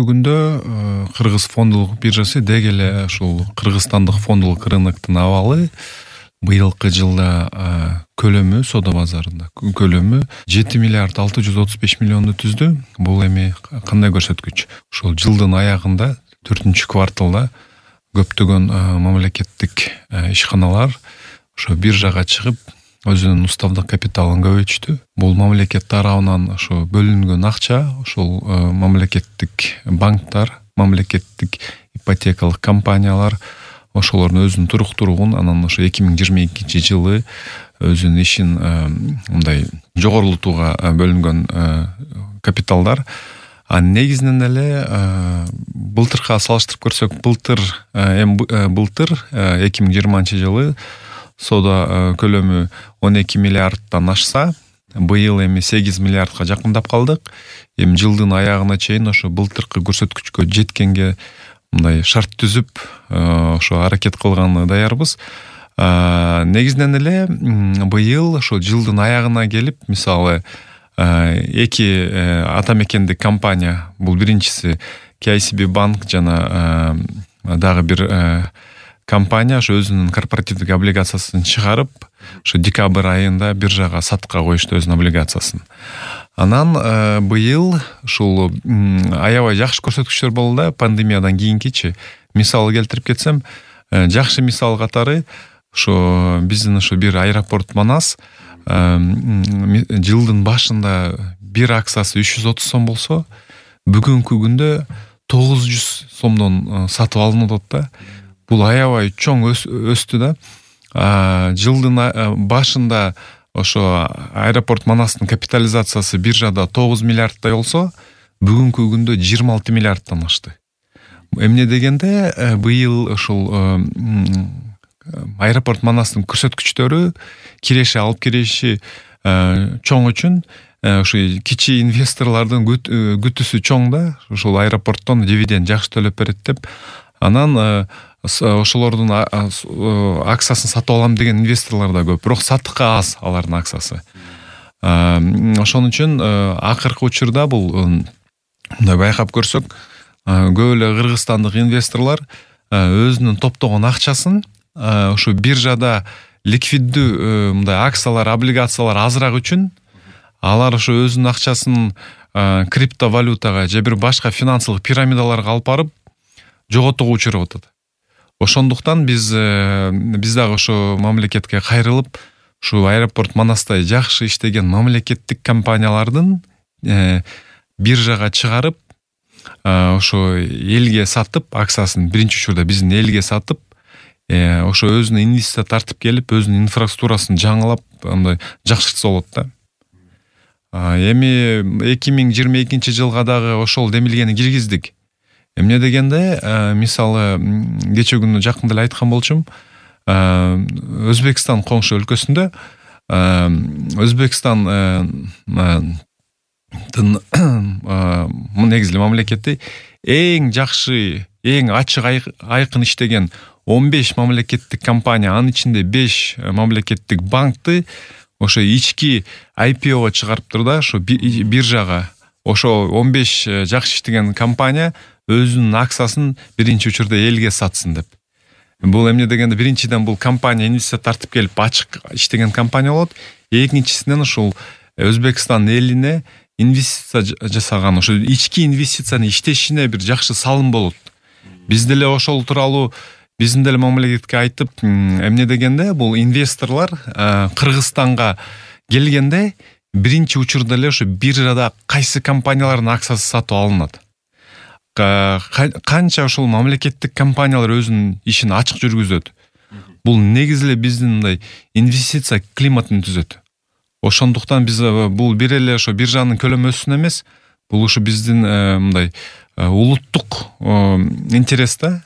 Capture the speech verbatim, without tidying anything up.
күндө Кыргыз фондулук биржасы деги эле ушул кыргызстандык фондулук рыноктун абалы быйылкы жылда көлөмү соода базарында көлөмү жети миллиард алты жүз отуз беш миллионду түздү. Бул эми кандай көрсөткүч? Ушул жылдын аягында төртүнчү кварталда көптөгөн мамлекеттик ишканалар ошо биржага чыгып өзүнүн уставдык капиталын көбөйтүштү. Бул мамлекет тарабынан ошо бөлүнгөн акча ошол мамлекеттик банктар, мамлекеттик ипотекалык компаниялар ошолордун өзүнүн туруктуулугун анан ошо эки миң жыйырма экинчи жылы өзүнүн ишин мындай жогорултууга бөлүнгөн капиталдар. А негизинен эле былтырка салыштырып көрсөк, былтыр эми былтыр эки миң жыйырманчы жылы соода көлөмү он эки миллиардтан ашса, быйыл эми сегиз миллиардка жакындап калдык. Эми жылдын аягына чейин ошо былтыркы көрсөткүчкө жеткенге мындай шарт түзүп, ошо аракет кылганга даярбыз. Негизинен эле быйыл ошо жылдын аягына келип, мисалы, эки ата мекендик компания, бул биринчиси кей ай си би банк жана дагы бир компания ошо өзүнүн корпоративдик облигациясын чыгарып, ошо декабрь айында биржага сатыкка коюшту өзүнүн облигациясын. Анан быйыл ушул аябай жакшы көрсөткүчтөр болду да, пандемиядан кийинкичи. Мисал келтирип кетсем, жакшы мисал катары ошо биздин ошо бир аэропорт Манас жылдын башында бир акциясы үч жүз отуз сом болсо, бүгүнкү күндө тогуз жүз сомдон сатып алынып атат да. Бул аябай чоң өстү да. Жылдын башында ошо аэропорт Манастын капитализациясы биржада тогуз миллиардтай болсо, бүгүнкү күндө жыйырма алты миллиардтан ашты. Эмне дегенде, быйыл ошол аэропорт Манастын көрсөткүчтөрү киреши алып кириши чоң үчүн ошо кичи инвесторлордун күтүүсү чоң да. Ошол аэропорттон дивиденд жакшы төлөп берет деп. Анан ошолордун акциясын сатып алам деген инвесторлор да көп, бирок сатыкка аз алардын акциясы. Ошон үчүн акыркы учурда бул мындай байкап көрсөк, көп эле кыргызстандык инвесторлор өзүнүн топтогон акчасын ошо биржада ликвиддүү мындай акциялар, облигациялар азыраак үчүн алар ошо өзүнүн акчасын криптовалютага же бир башка финансылык пирамидаларга алып барып жоготууга учурап атат. Ошондуктан биз биз дагы ошо мамлекетке кайрылып, ушу аэропорт Манастай жакшы иштеген мамлекеттик компаниялардын биржага чыгарып, ошо элге сатып, акциясын биринчи учурда биздин элге сатып, ошо өзүнө инвестиция тартып келип, өзүнүн инфраструктурасын жаңылап, андай жакшыртса болот да. Эми эки миң жыйырма экинчи жылга дагы ошол демилгени киргиздик. Эмне дегенде, мисалы, кече күнү жакында эле айткан болчумун, Өзбекстан коңшу өлкөсүндө Өзбекстан негизи мамлекети эң жакшы, эң ачык айкын иштеген он беш мамлекеттик компания, анын ичинде беш мамлекеттик банкты ошо ички ай пи ого чыгарыптыр да, ошо биржага. Ошо он беш жакшы иштеген компания өзүнүн акциясын биринчи учурда элге сатсын деп. Бул эмне дегенде, биринчиден бул компания инвестиция тартып келип ачык иштеген компания болот. Экинчисинен ушул Өзбекстан элине инвестиция жасаган, ошо ички инвестицияны иштешине бир жакшы салым болот. Биз деле ошол тууралуу биздин деле мамлекетке айтып, эмне дегенде, бул инвесторлор Кыргызстанга келгенде биринчи учурда эле ошо биржада кайсы компаниялардын акциясы сатып алынат. Канча ошол мамлекеттик компаниялар өзүнүн ишин ачык жүргүзөт. Бул негизи эле биздин мындай инвестиция климатын түзөт. Ошондуктан биз бул бир эле ошо биржанын көлөмү өссүн эмес, бул ушу биздин мындай улуттук интерес да.